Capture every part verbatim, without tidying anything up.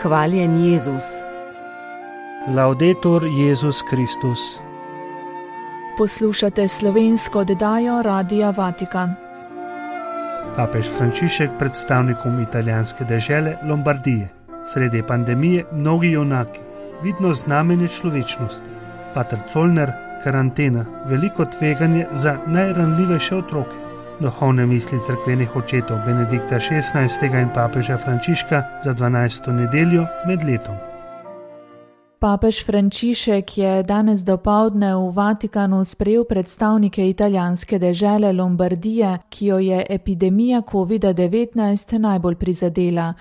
Hvaljen Jezus. Laudetur Jezus Kristus. Poslušate slovensko oddajo Radia Vatikan. Papež Frančišek predstavnikom italijanske dežele Lombardije. Sredi pandemije mnogi junaki, vidno znamenje človečnosti. Pater Colner, karantena, veliko tveganje za najranljivejše otroke. Duhovne misli cerkvenih očetov Benedikta šestnajstega in papeža Frančiška za dvanajsto nedeljo med letom. Papež Frančišek je danes dopoldne v Vatikanu sprejel predstavnike italijanske dežele Lombardije, ki jo je epidemija kovida devetnajst najbolj prizadela.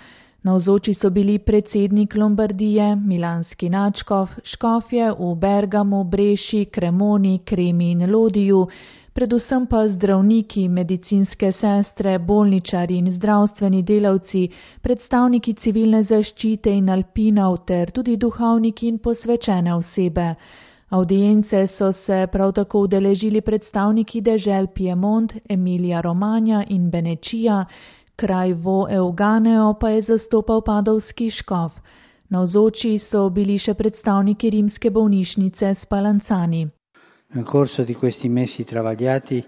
Navzoči so bili predsednik Lombardije, milanski nadškof, škofje v Bergamu, Breši, Cremoni, Kremi in Lodiju, predvsem pa zdravniki, medicinske sestre, bolničari in zdravstveni delavci, predstavniki civilne zaščite in alpinov ter tudi duhovniki in posvečene osebe. Avdience so se prav tako udeležili predstavniki dežel Piemont, Emilija Romagna in Benečija, kraj Vo Euganeo pa je zastopal padovski škof. Navzoči so bili še predstavniki rimske bolnišnice Spallanzani. Nel corso di questi mesi travagliati,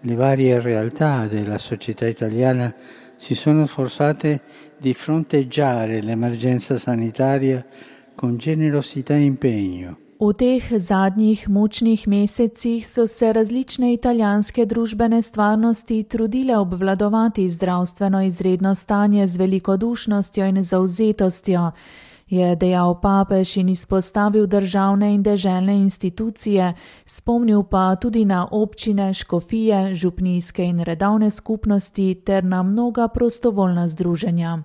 le varie realtà della società italiana si sono sforzate di fronteggiare l'emergenza sanitaria con generosità e impegno. V teh zadnjih mučnih mesecih so se različne italijanske družbene stvarnosti trudile obvladovati zdravstveno izredno stanje z velikodušnostjo in zavzetostjo, je dejal papež in izpostavil državne in deželne institucije, spomnil pa tudi na občine, škofije, župnijske in redovne skupnosti ter na mnoga prostovoljna združenja.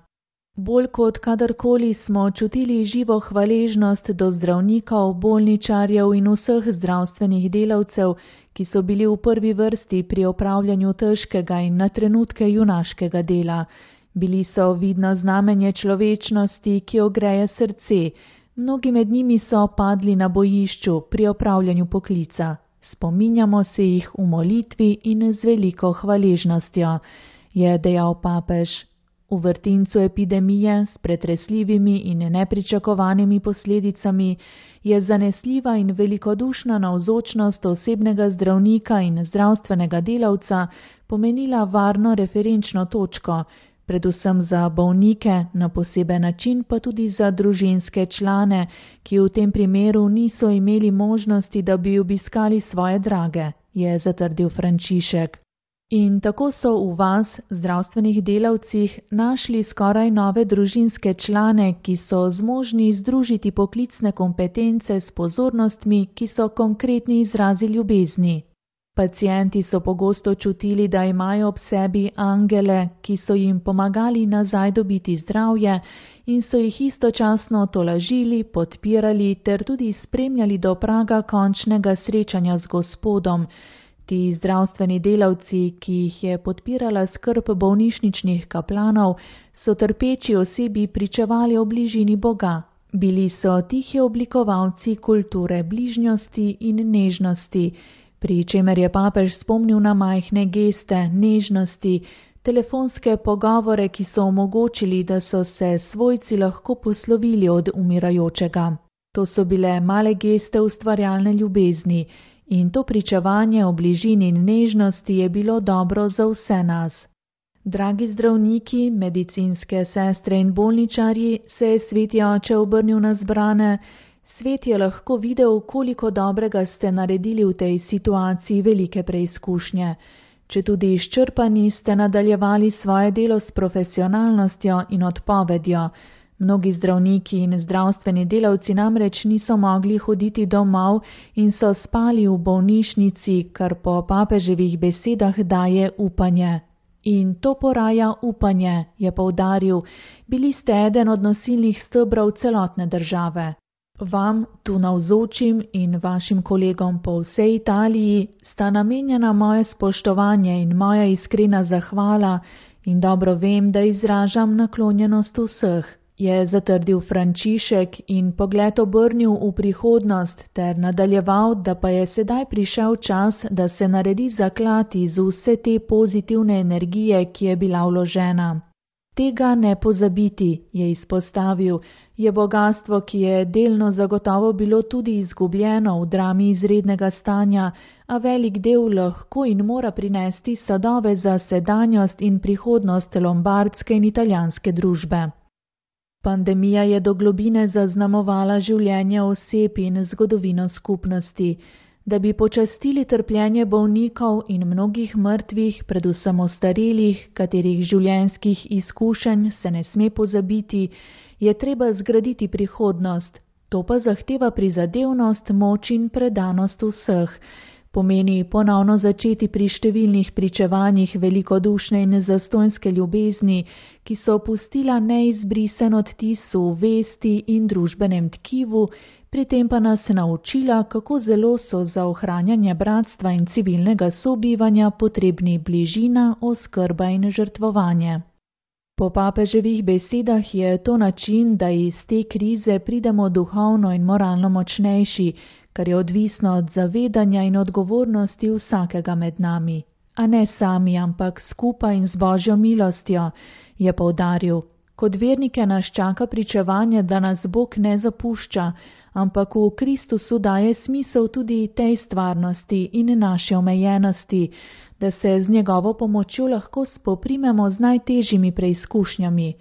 Bolj kot kadarkoli smo čutili živo hvaležnost do zdravnikov, bolničarjev in vseh zdravstvenih delavcev, ki so bili v prvi vrsti pri opravljanju težkega in na trenutke junaškega dela. Bili so vidno znamenje človečnosti, ki ogreje srce. Mnogi med njimi so padli na bojišču pri opravljanju poklica. Spominjamo se jih v molitvi in z veliko hvaležnostjo, je dejal papež. V vrtincu epidemije s pretresljivimi in nepričakovanimi posledicami je zanesljiva in velikodušna navzočnost osebnega zdravnika in zdravstvenega delavca pomenila varno referenčno točko, predvsem za bolnike, na poseben način pa tudi za družinske člane, ki v tem primeru niso imeli možnosti, da bi obiskali svoje drage, je zatrdil Frančišek. In tako so v vas, zdravstvenih delavcih, našli skoraj nove družinske člane, ki so zmožni združiti poklicne kompetence s pozornostmi, ki so konkretni izrazi ljubezni. Pacienti so pogosto čutili, da imajo ob sebi angele, ki so jim pomagali nazaj dobiti zdravje in so jih istočasno tolažili, podpirali ter tudi spremljali do praga končnega srečanja z Gospodom. Ti zdravstveni delavci, ki jih je podpirala skrb bolnišničnih kaplanov, so trpeči osebi pričevali o bližini Boga. Bili so tihi oblikovalci kulture bližnjosti in nežnosti, pri čemer je papež spomnil na majhne geste, nežnosti, telefonske pogovore, ki so omogočili, da so se svojci lahko poslovili od umirajočega. To so bile male geste ustvarjalne ljubezni in to pričevanje o bližini in nežnosti je bilo dobro za vse nas. Dragi zdravniki, medicinske sestre in bolničarji, se je sveti oče obrnil na zbrane. Svet je lahko videl, koliko dobrega ste naredili v tej situaciji velike preizkušnje. Če tudi izčrpani, ste nadaljevali svoje delo s profesionalnostjo in odpovedjo. Mnogi zdravniki in zdravstveni delavci namreč niso mogli hoditi domov in so spali v bolnišnici, kar po papeževih besedah daje upanje. In to poraja upanje, je poudaril, bili ste eden od nosilnih stebrov celotne države. Vam, tu navzočim in vašim kolegom po vsej Italiji, sta namenjena moje spoštovanje in moja iskrena zahvala in dobro vem, da izražam naklonjenost vseh, je zatrdil Frančišek in pogled obrnil v prihodnost ter nadaljeval, da pa je sedaj prišel čas, da se naredi zaklad iz vse te pozitivne energije, ki je bila vložena. Tega ne pozabiti, je izpostavil, je bogastvo, ki je delno zagotovo bilo tudi izgubljeno v drami izrednega stanja, a velik del lahko in mora prinesti sadove za sedanjost in prihodnost lombardske in italijanske družbe. Pandemija je do globine zaznamovala življenje oseb in zgodovino skupnosti. Da bi počastili trpljenje bolnikov in mnogih mrtvih, predvsem ostarelih, katerih življenjskih izkušenj se ne sme pozabiti, je treba zgraditi prihodnost. To pa zahteva prizadevnost, moč in predanost vseh. Pomeni ponovno začeti pri številnih pričevanjih velikodušne in zastonjske ljubezni, ki so pustila neizbrisen odtis v vesti in družbenem tkivu, pri tem pa nas naučila, kako zelo so za ohranjanje bratstva in civilnega sobivanja potrebni bližina, oskrba in žrtvovanje. Po papeževih besedah je to način, da iz te krize pridemo duhovno in moralno močnejši, kar je odvisno od zavedanja in odgovornosti vsakega med nami. A ne sami, ampak skupaj in z Božjo milostjo, je poudaril. Kot vernike nas čaka pričevanje, da nas Bog ne zapušča, ampak v Kristusu daje smisel tudi tej stvarnosti in naše omejenosti, da se z njegovo pomočjo lahko spoprimemo z najtežjimi preizkušnjami.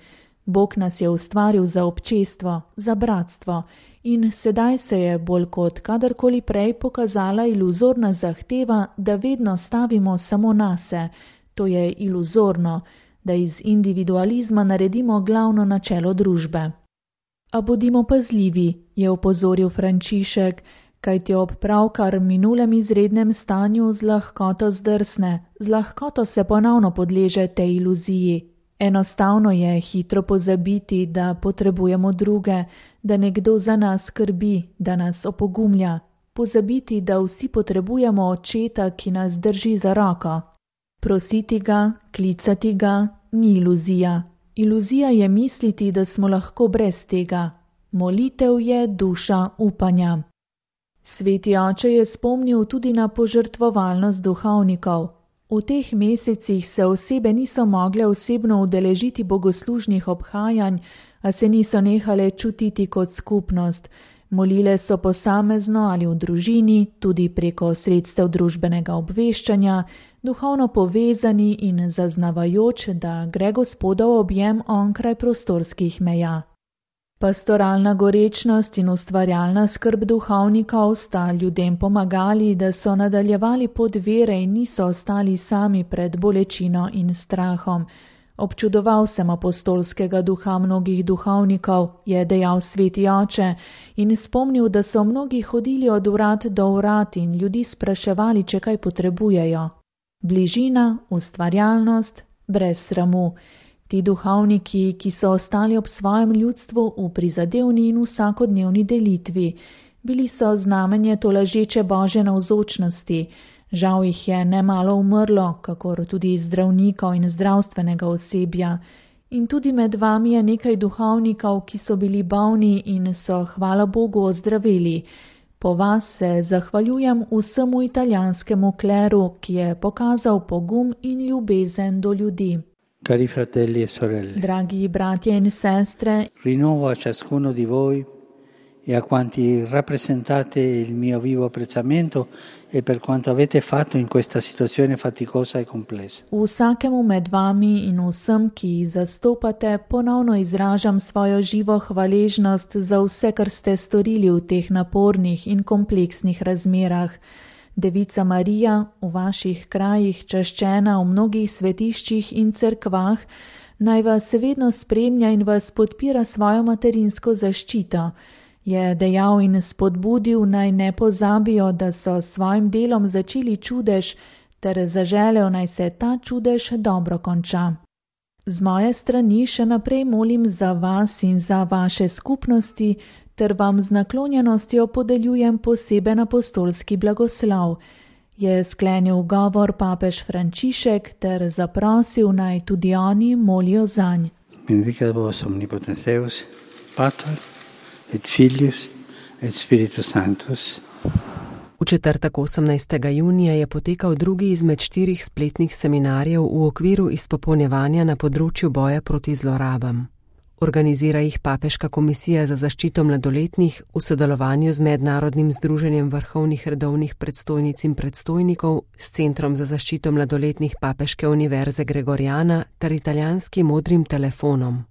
Bog nas je ustvaril za občestvo, za bratstvo in sedaj se je bolj kot kadarkoli prej pokazala iluzorna zahteva, da vedno stavimo samo nase. To je iluzorno, da iz individualizma naredimo glavno načelo družbe. A bodimo pazljivi, je opozoril Frančišek, kajti ob pravkar minulem izrednem stanju z lahkoto zdrsne, z lahkoto se ponovno podleže tej iluziji. Enostavno je hitro pozabiti, da potrebujemo druge, da nekdo za nas skrbi, da nas opogumlja. Pozabiti, da vsi potrebujemo očeta, ki nas drži za roko. Prositi ga, klicati ga, ni iluzija. Iluzija je misliti, da smo lahko brez tega. Molitev je duša upanja. Sveti oče je spomnil tudi na požrtvovalnost duhovnikov. V teh mesecih se osebe niso mogle osebno udeležiti bogoslužnih obhajanj, a se niso nehale čutiti kot skupnost. Molile so posamezno ali v družini, tudi preko sredstev družbenega obveščanja, duhovno povezani in zaznavajoč, da gre Gospodov objem onkraj prostorskih meja. Pastoralna gorečnost in ustvarjalna skrb duhovnikov sta ljudem pomagali, da so nadaljevali pot vere in niso ostali sami pred bolečino in strahom. Občudoval sem apostolskega duha mnogih duhovnikov, je dejal sveti oče, in spomnil, da so mnogi hodili od vrat do vrat in ljudi spraševali, če kaj potrebujejo. Bližina, ustvarjalnost, brez sramu. Ti duhovniki, ki so ostali ob svojem ljudstvu v prizadevni in vsakodnevni delitvi, bili so znamenje tolažeče Božje navzočnosti. Žal jih je nemalo umrlo, kakor tudi zdravnikov in zdravstvenega osebja. In tudi med vami je nekaj duhovnikov, ki so bili bolni in so, hvala Bogu, ozdraveli. Po vas se zahvaljujem vsemu italijanskemu kleru, ki je pokazal pogum in ljubezen do ljudi. Cari fratelli e sorelle, dragi bratje in sestre, rinnovo a ciascuno di voi e a quanti rappresentate il mio vivo apprezzamento e per quanto avete fatto in questa situazione faticosa e complessa. Vsakemu med vami in vsem, ki zastopate, ponovno izražam svojo živo hvaležnost za vse, kar ste storili v teh napornih in kompleksnih razmerah. Devica Marija, v vaših krajih čaščena v mnogih svetiščih in cerkvah, naj vas vedno spremlja in vas podpira svojo materinsko zaščito, je dejal in spodbudil, naj ne pozabijo, da so s svojim delom začeli čudež, ter zaželel, naj se ta čudež dobro konča. Z moje strani še naprej molim za vas in za vaše skupnosti, ter vam z naklonjenostjo podeljujem poseben apostolski blagoslov, je sklenil govor papež Frančišek ter zaprosil, naj tudi oni molijo zanj. Benedicat vos omnipotens Deus, Pater et Filius et Spiritus Sanctus. V četrtek osemnajstega junija je potekal drugi izmed štirih spletnih seminarjev v okviru izpopolnjevanja na področju boja proti zlorabam. Organizira jih Papeška komisija za zaščito mladoletnih v sodelovanju z Mednarodnim združenjem vrhovnih redovnih predstojnic in predstojnikov, s Centrom za zaščito mladoletnih Papeške univerze Gregoriana ter italijanskim Modrim telefonom.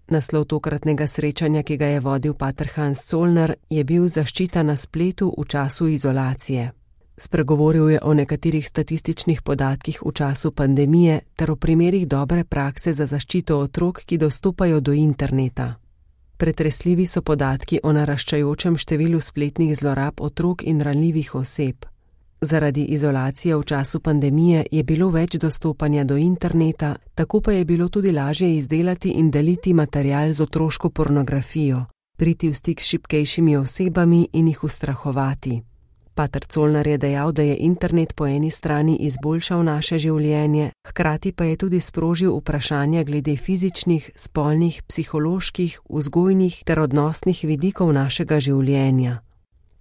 Naslov tokratnega srečanja, ki ga je vodil pater Hans Zollner, je bil Zaščita na spletu v času izolacije. Spregovoril je o nekaterih statističnih podatkih v času pandemije ter o primerih dobre prakse za zaščito otrok, ki dostopajo do interneta. Pretresljivi so podatki o naraščajočem številu spletnih zlorab otrok in ranljivih oseb. Zaradi izolacije v času pandemije je bilo več dostopanja do interneta, tako pa je bilo tudi lažje izdelati in deliti material z otroško pornografijo, priti v stik s šibkejšimi osebami in jih ustrahovati. Pater Zollner je dejal, da je internet po eni strani izboljšal naše življenje, hkrati pa je tudi sprožil vprašanja glede fizičnih, spolnih, psiholoških, vzgojnih ter odnosnih vidikov našega življenja.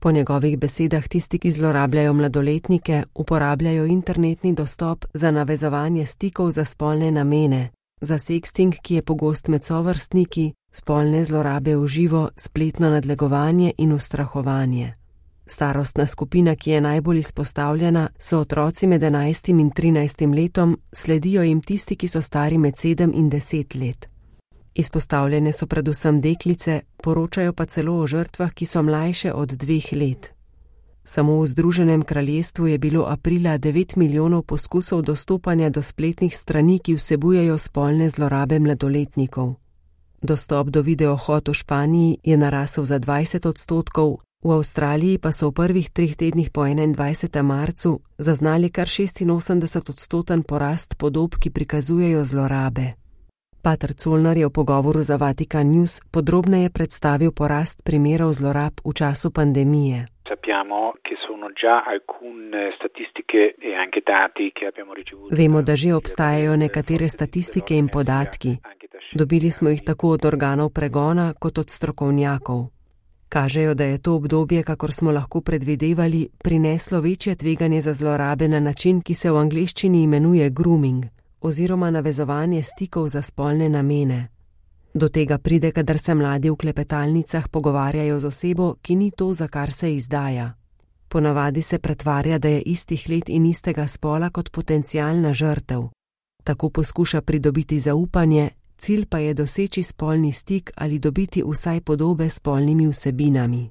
Po njegovih besedah tisti, ki zlorabljajo mladoletnike, uporabljajo internetni dostop za navezovanje stikov za spolne namene, za sexting, ki je pogost med sovrstniki, spolne zlorabe v živo, spletno nadlegovanje in ustrahovanje. Starostna skupina, ki je najbolj izpostavljena, so otroci med enajstim in trinajstim letom, sledijo jim tisti, ki so stari med sedem in deset let. Izpostavljene so predvsem deklice, poročajo pa celo o žrtvah, ki so mlajše od dveh let. Samo v Združenem kraljestvu je bilo aprila devet milijonov poskusov dostopanja do spletnih strani, ki vsebujejo spolne zlorabe mladoletnikov. Dostop do videohod v Španiji je narasel za dvajset odstotkov, v Avstraliji pa so v prvih treh tednih po enaindvajsetem marcu zaznali kar šestinosemdeset odstoten porast podob, ki prikazujejo zlorabe. Pater Zollner je v pogovoru za Vatikan News podrobneje predstavil porast primerov zlorab v času pandemije. Vemo, da že obstajajo nekatere statistike in podatki. Dobili smo jih tako od organov pregona kot od strokovnjakov. Kažejo, da je to obdobje, kakor smo lahko predvidevali, prineslo večje tveganje za zlorabe na način, ki se v angleščini imenuje grooming, oziroma navezovanje stikov za spolne namene. Do tega pride, kadar se mladi v klepetalnicah pogovarjajo z osebo, ki ni to, za kar se izdaja. Ponavadi se pretvarja, da je istih let in istega spola kot potencialna žrtev. Tako poskuša pridobiti zaupanje, cilj pa je doseči spolni stik ali dobiti vsaj podobe s spolnimi vsebinami.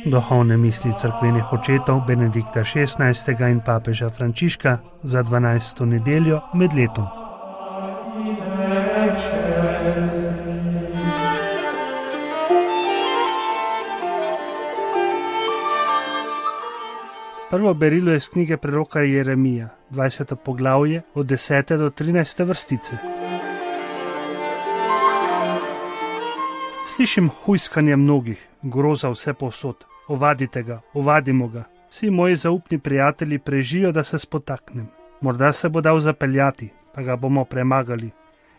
Duhovne misli cerkvenih očetov Benedikta šestnajstega in papeža Frančiška za dvanajsto nedeljo med letom. Prvo berilo je iz knjige preroka Jeremija, dvajseto poglavje od desete do trinajste vrstice. Slišim hujskanje mnogih, groza vse povsod. Ovadite ga, ovadimo ga. Vsi moji zaupni prijatelji prežijo, da se spotaknem. Morda se bo dal zapeljati, pa ga bomo premagali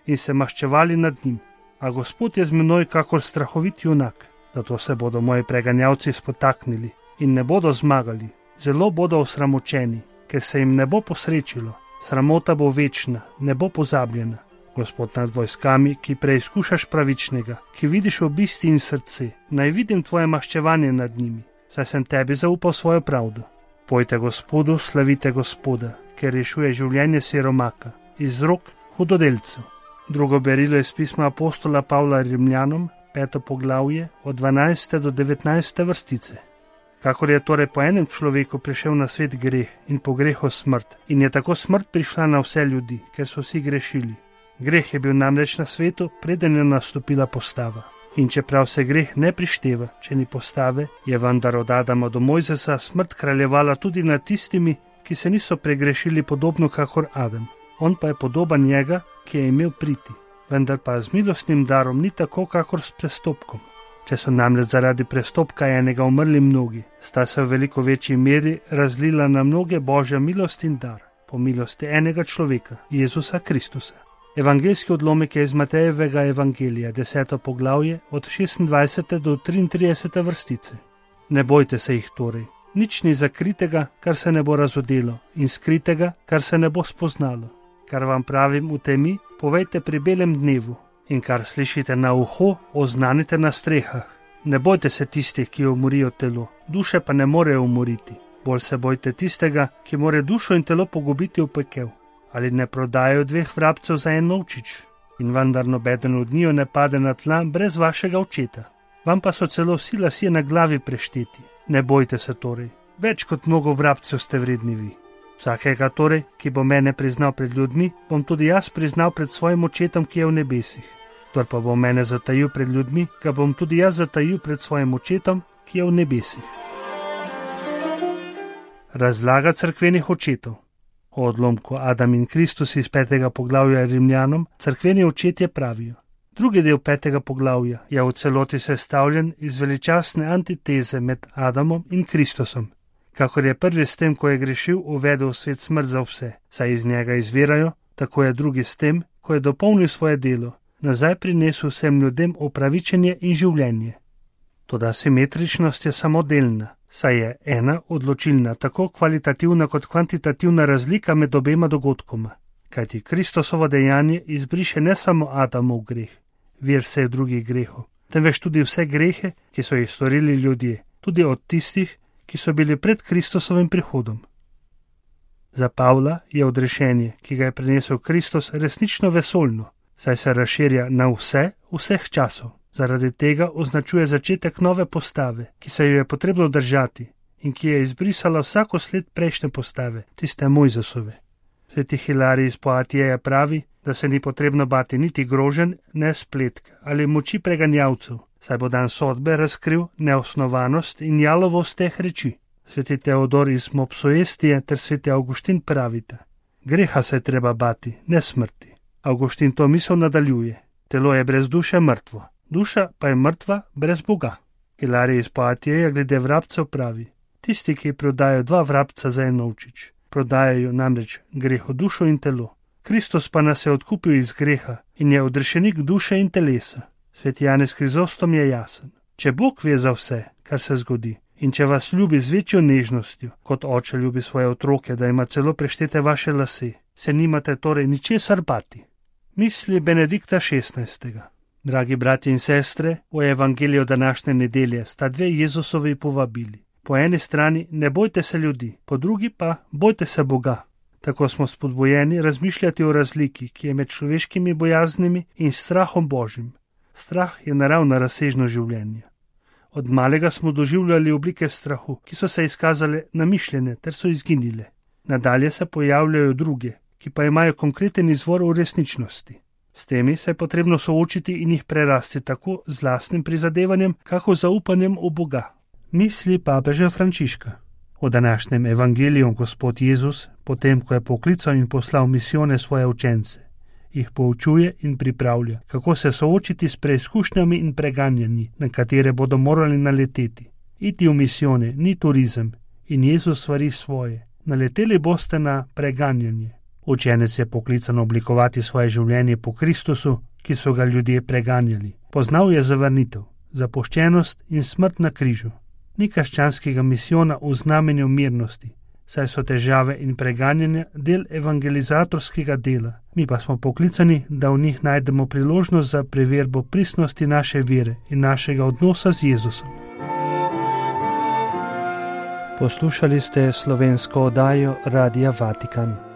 in se maščevali nad njim. A Gospod je z menoj kakor strahovit junak, zato se bodo moji preganjavci spotaknili in ne bodo zmagali. Zelo bodo osramočeni, ker se jim ne bo posrečilo. Sramota bo večna, ne bo pozabljena. Gospod nad vojskami, ki preizkušaš pravičnega, ki vidiš obisti in srce, naj vidim tvoje maščevanje nad njimi, saj sem tebi zaupal svojo pravdo. Pojte Gospodu, slavite Gospoda, ker rešuje življenje siromaka, iz rok hudodelcev. Drugo berilo je iz pisma apostola Pavla Rimljanom, peto poglavje, od dvanajste do devetnajste vrstice. Kakor je torej po enem človeku prišel na svet greh in po grehu smrt, in je tako smrt prišla na vse ljudi, ker so vsi grešili. Greh je bil namreč na svetu, preden je nastopila postava. In čeprav se greh ne prišteva, če ni postave, je vendar od Adama do Mojzesa smrt kraljevala tudi nad tistimi, ki se niso pregrešili podobno kakor Adam. On pa je podoben njega, ki je imel priti, vendar pa z milostnim darom ni tako kakor s prestopkom. Če so namreč zaradi prestopka enega umrli mnogi, sta se v veliko večji meri razlila na mnoge Božja milost in dar, po milosti enega človeka, Jezusa Kristusa. Evangeljski odlomek je iz Matejevega evangelija, deseto poglavje, od šestindvajsete do triintridesete vrstice. Ne bojte se jih torej, nič ni zakritega, kar se ne bo razodelo, in skritega, kar se ne bo spoznalo. Kar vam pravim v temi, povejte pri belem dnevu, in kar slišite na uho, oznanite na strehah. Ne bojte se tistih, ki umorijo telo, duše pa ne morejo umoriti. Bolj se bojte tistega, ki more dušo in telo pogubiti v pekel. Ali ne prodajajo dveh vrabcev za en novčič? In vendar nobeden od njiju ne pade na tla brez vašega očeta. Vam pa so celo vsi lasje na glavi prešteti. Ne bojte se torej, več kot mnogo vrabcev ste vredni vi. Vsakega torej, ki bo mene priznal pred ljudmi, bom tudi jaz priznal pred svojim očetom, ki je v nebesih. Kdor pa bo mene zatajil pred ljudmi, ga bom tudi jaz zatajil pred svojim očetom, ki je v nebesih. Razlaga cerkvenih očetov. O odlomku Adam in Kristus iz petega poglavja Rimljanom cerkveni očetje pravijo. Drugi del petega poglavja je v celoti sestavljen iz veličastne antiteze med Adamom in Kristusom. Kakor je prvi s tem, ko je grešil, uvedel v svet smrt za vse, saj iz njega izvirajo, tako je drugi s tem, ko je dopolnil svoje delo, nazaj prinesel vsem ljudem opravičenje in življenje. Toda simetričnost je samo delna, saj je ena odločilna, tako kvalitativna kot kvantitativna razlika med obema dogodkoma, kajti Kristusovo dejanje izbriše ne samo Adamov greh, vir vseh drugih grehov, temveč tudi vse grehe, ki so jih storili ljudje, tudi od tistih, ki so bili pred Kristusovim prihodom. Za Pavla je odrešenje, ki ga je prinesel Kristus, resnično vesoljno, saj se razširja na vse, vseh časov. Zaradi tega označuje začetek nove postave, ki se jo je potrebno držati in ki je izbrisala vsako sled prejšnje postave, tiste Mojzesove. Sveti Hilarij iz Poatijeja pravi, da se ni potrebno bati niti groženj, ne spletk ali moči preganjavcev, saj bo dan sodbe razkril neosnovanost in jalovost teh reči. Sveti Teodor iz Mopsuestije ter sveti Avguštin pravita: greha se treba bati, ne smrti. Avguštin to misel nadaljuje: telo je brez duše mrtvo, duša pa je mrtva brez Boga. Hilarij iz Poatijeja glede vrabcev pravi: tisti, ki prodajo dva vrabca za en novčič, prodajajo namreč greho dušo in telo. Kristus pa nas je odkupil iz greha in je odrešenik duše in telesa. Sveti Janez Krizostom je jasen: če Bog ve za vse, kar se zgodi, in če vas ljubi z večjo nežnostjo, kot oče ljubi svoje otroke, da ima celo preštete vaše lase, se nimate torej ničesar bati. Misli Benedikta šestnajstega. Dragi bratje in sestre, v evangeliju današnje nedelje sta dve Jezusovi povabili. Po eni strani ne bojte se ljudi, po drugi pa bojte se Boga. Tako smo spodbujeni razmišljati o razliki, ki je med človeškimi bojaznimi in strahom Božjim. Strah je naravna razsežnost življenja. Od malega smo doživljali oblike strahu, ki so se izkazale namišljene ter so izginile. Nadalje se pojavljajo druge, ki pa imajo konkreten izvor v resničnosti. S temi se je potrebno soočiti in jih prerasti tako z lastnim prizadevanjem, kako zaupanjem v Boga. Misli papeža Frančiška. V današnjem evangeliju Gospod Jezus, potem ko je poklical in poslal misijone svoje učence, jih poučuje in pripravlja, kako se soočiti s preizkušnjami in preganjanji, na katere bodo morali naleteti. Iti v misijone ni turizem in Jezus svari svoje. Naleteli boste na preganjanje. Učenec je poklican oblikovati svoje življenje po Kristusu, ki so ga ljudje preganjali. Poznal je zavrnitev, zapuščenost in smrt na križu. Ni krščanskega misijona v znamenju mirnosti, saj so težave in preganjanja del evangelizatorskega dela. Mi pa smo poklicani, da v njih najdemo priložnost za preverbo pristnosti naše vere in našega odnosa z Jezusom. Poslušali ste slovensko oddajo Radia Vatikan.